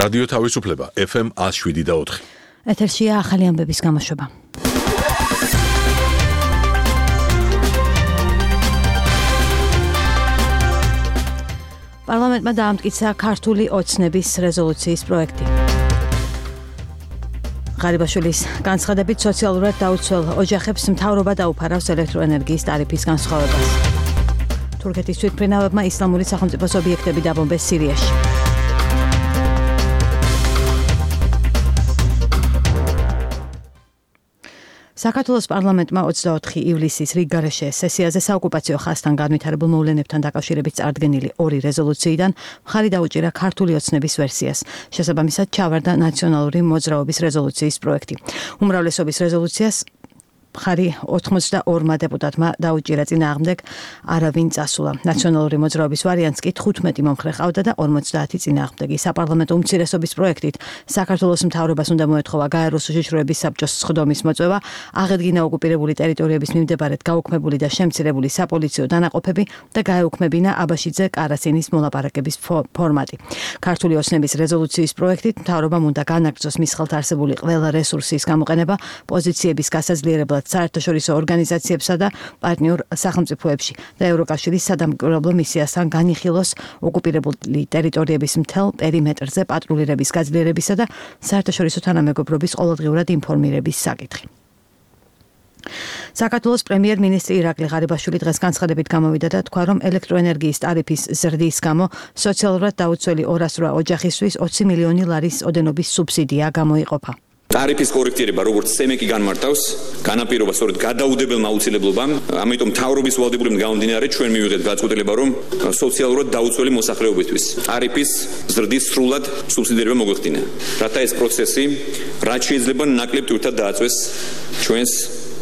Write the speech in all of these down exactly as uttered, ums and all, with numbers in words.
რადიო თავისუფლება ეფ ემ one oh seven და four. ეთერშია ახალი ამბების გამოშვება. პარლამენტმა დაამტკიცა ქართული ოცნების რეზოლუციის პროექტი. ღარიბაშვილის განცხადებით სოციალურად დაუცველ ოჯახებს მთავრობა დაუფარავს ელექტროენერგიის ტარიფის განსხვავებას. თურქეთის თვითმფრინავებმა ისლამური სახელმწიფოს ობიექტები დაბომბეს სირიაში. საქართველოს პარლამენტმა ოცდაოთხი ივლისის რიგგარეშე სესიაზე საოკუპაციო ხაზთან განვითარებულ მოვლენებთან დაკავშირებით წარდგენილი ორი რეზოლუციიდან მხარი დაუჭირა ქართული ოცნების ვერსიას. შესაბამისად ჩავარდა ნაციონალური მოძრაობის რეზოლუციის პროექტი. უმრავლესობის რეზოლუციას მხარი ოცდაორმა დეპუტატმა დაუჭირა, წინააღმდეგ არავინ წასულა. ნაციონალური მოძრაობის ვარიანტს კი თხუთმეტი მომხრე ყავდა და ორმოცდაათი წინააღმდეგი. საპარლამენტო უმცირესობის პროექტით საქართველოს მთავრობას უნდა მოეთხოვა გაეროს უშიშროების საბჭოს სხდომის მოწვევა, აღედგინა ოკუპირებული ტერიტორიების მიმდებარედ გაუქმებული და შემცირებული საპოლიციო დანაყოფები და გაეუქმებინა აბაშიძე კარასინის მოლაპარაკების ფორმატი. ქართული ოცნების რეზოლუციის პროექტით მთავრობამ უნდა განაგრძოს მის ხელთ არსებული ყველა რესურსის გამოყენება პოზიციების გასაძლიერებლად საერთაშორისო ორგანიზაციებსა და პარტნიორ სახელმწიფოებში და ევროკავშირის სადამკვირვებლო მისიასთან განიხილოს ოკუპირებული ტერიტორიების მთელ პერიმეტრზე პატრულირების გაძლიერებისა და საერთაშორისო თანამეგობრობის ყოველდღიურად ინფორმირების საკითხი. საქართველოს პრემიერ-მინისტრი ირაკლი ღარიბაშვილი დღეს განცხადებით გამოვიდა და თქვა, რომ ელექტროენერგიის ტარიფის ზრდის გამო სოციალურად დაუცველი ორასრვა ოჯახისთვის ოცი მილიონი ლარის ოდენობის სუბსიდია გამოიყოფა. ტარიფის კორექტირება როგორც სემეკი განმარტავს, განაპირობა სწორედ გადაუდებელმა აუცილებლობამ, ამიტომ მთავრობის ვალდებულებიდან გამომდინარე ჩვენ მივიღეთ გადაწყვეტილება, რომ სოციალურად დაუცველი მოსახლეობისთვის ტარიფის ზრდის სრულად სუბსიდირება მოგვეხდინა. რათა ეს პროცესი რაც შეიძლება ნაკლებ თურთად დააწვეს ჩვენს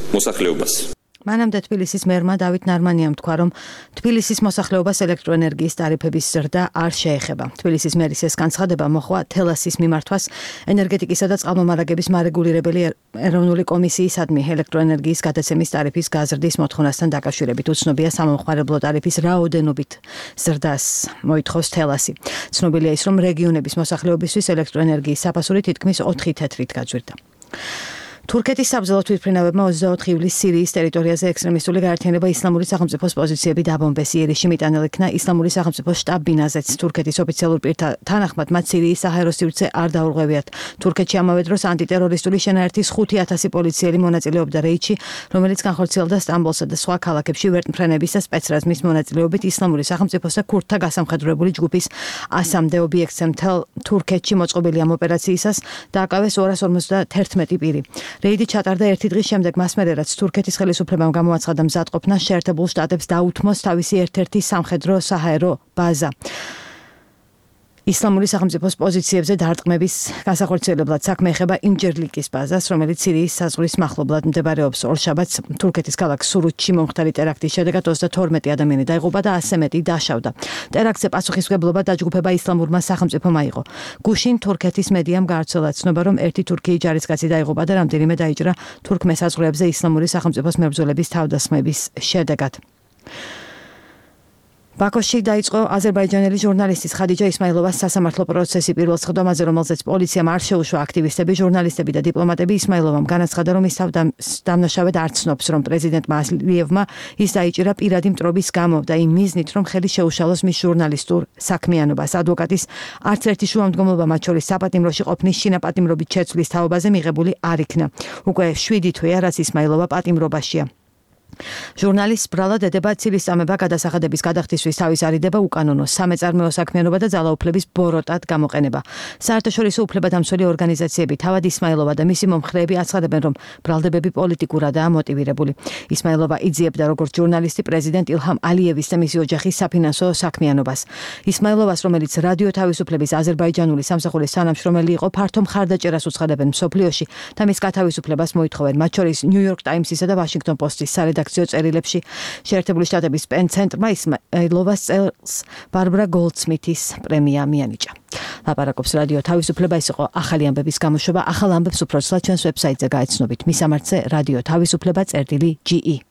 მოსახლეობას. მანამდე თბილისის მერმა დავით ნარმანიამ თქვა, რომ თბილისის მოსახლეობას ელექტროენერგიის ტარიფების ზრდა არ შეეხება. თბილისის მერის ეს განცხადება მოხდა თელასის მიმართვას ენერგეტიკისა და წყალმომარაგების მარეგულირებელი ეროვნული კომისიისადმი ელექტროენერგიის გადაცემის ტარიფის გაზრდის მოთხოვნასთან დაკავშირებით. უცნობია სამომხმარებლო ტარიფის რაოდენობით ზრდას მოითხოვს თელასი. ცნობილია ის, რომ რეგიონების მოსახლეობისთვის ელექტროენერგიის საფასური თითქმის ოთხი თეთრით გაძვირდა. თურქეთის საბრძოლო თვითმფრინავებმა ოცდაოთხი ივლისს სირიის ტერიტორიაზე ექსტრემისტული გაერთიანება ისლამური სახელმწიფოს პოზიციები დაბომბეს. იერიშში მიტანილ იქნა ისლამური სახელმწიფოს შტაბ-ბინაზეც. თურქეთის ოფიციალურ პირთა თანახმად მათ სირიის საჰაერო სივრცე არ დაურღვევიათ. თურქეთში ამავე დროს ანტიტერორისტული შენაერთის ხუთი ათასი პოლიციელი მონაწილეობდა რეიდში, რომელიც განხორციელდა სტამბოლსა და სხვა ქალაქებში ვერტმფრენების და სპეცრაზმის მონაწილეობით ისლამური სახელმწიფოს და ქურთთა გასამხედროებული ჯგუფის ასამდე ობიექტზე. მთელ თურქეთში მოწყობილი ამ ოპერაციისას დააკავეს ორას ორმოცდაათერთმეტი პირი. რეიდი ჩატარდა ერთი დღის შემდეგ, მას მერე რაც თურქეთის ხელისუფლებამ გამოაცხადა მზადყოფნა შეერთებულ შტატებს დაუთმოს თავისი ერთ-ერთი სამხედრო საჰაერო ბაზა. ისლამური სახელმწიფოს პოზიციებზე დარტყმების განსახორციელებლად საქმე ეხება ინჯერლიკის ბაზას, რომელიც სირიის საზღვრის მახლობლად მდებარეობს. ორშაბათს თურქეთის ქალაქ სურუთში მომხდარი ტერაქტის შედეგად ოცდათორმეტი ადამიანი დაიღუპა და ასზე მეტი დაშავდა. ტერაქტზე პასუხისმგებლობა დაჯგუფება ისლამურმა სახელმწიფომ აიღო. გუშინ თურქეთის მედიამ გაავრცელა ცნობა, რომ ერთი თურქი ჯარისკაცი დაიღუპა და რამდენიმე დაიჭრა თურქ მესაზღვრეებზე ისლამური სახელმწიფოს მებრძოლების თავდასხმების შედეგად. ბაქოში დაიწყო აზერბაიჯანელი ჟურნალისტის ხადიჯა ისმაილოვას სასამართლო პროცესი. პირველ სხდომაზე, რომელზეც პოლიციამ არ შეუშვა აქტივისტები, ჟურნალისტები და დიპლომატები, ისმაილოვამ განაცხადა, რომ ის თავდამნაშავედ არ ცნობს, რომ პრეზიდენტმა ალიევმა ის დაიჭირა პირადი მტრობის გამო და იმ მიზნით, რომ ხელი შეუშალოს მის ჟურნალისტურ საქმიანობას. ადვოკატის არც ერთი შუამდგომლობა, მათ შორის საპატიმროში ყოფნის შინაპატიმრობით შეცვლის თაობაზე მიღებული არ იქნა. უკვე შვიდი თვეა, რაც ისმაილოვა პატიმრობაშია. ჟურნალისტს ბრალად ედება ცილისწამება გადასახადების გადახდისთვის თავის არიდება უკანონო სამეწარმეო საქმიანობა და ძალაუფლების ბოროტად გამოყენება. საერთაშორისო უფლებადამცველი ორგანიზაციები თავად ისმაილოვა და მისი მომხრეები აცხადებენ, რომ ბრალდებები პოლიტიკურადაა მოტივირებული. ისმაილოვა იძიებდა როგორც ჟურნალისტი პრეზიდენტ ილჰამ ალიევის და მისი ოჯახის საფინანსო საქმიანობას. ისმაილოვას, რომელიც რადიო თავისუფლების აზერბაიჯანული სამსახურის თანამშრომელი იყო, ფართო მხარდაჭერას უცხადებენ მსოფლიოში და მის გათავისუფლებას მოითხოვენ, მათ შორის ნიუ-იორკ ტაიმსისა და ვაშინგტონ პოსტის სარედაქციო წერილებში. შეერთებული შტატების პენ ცენტრმა ისმაილოვას წელს ბარბრა გოლდსმითის პრემია მიანიჭა. ლაპარაკობს რადიო თავისუფლება, ეს იყო ახალი ამბების გამოშვება. ახალ ამბებს უფრო ცლად ჩვენს ვებსაიტზე გაეცნობით. მისამართზე რადიო თავისუფლება წერტილი ჯი ი.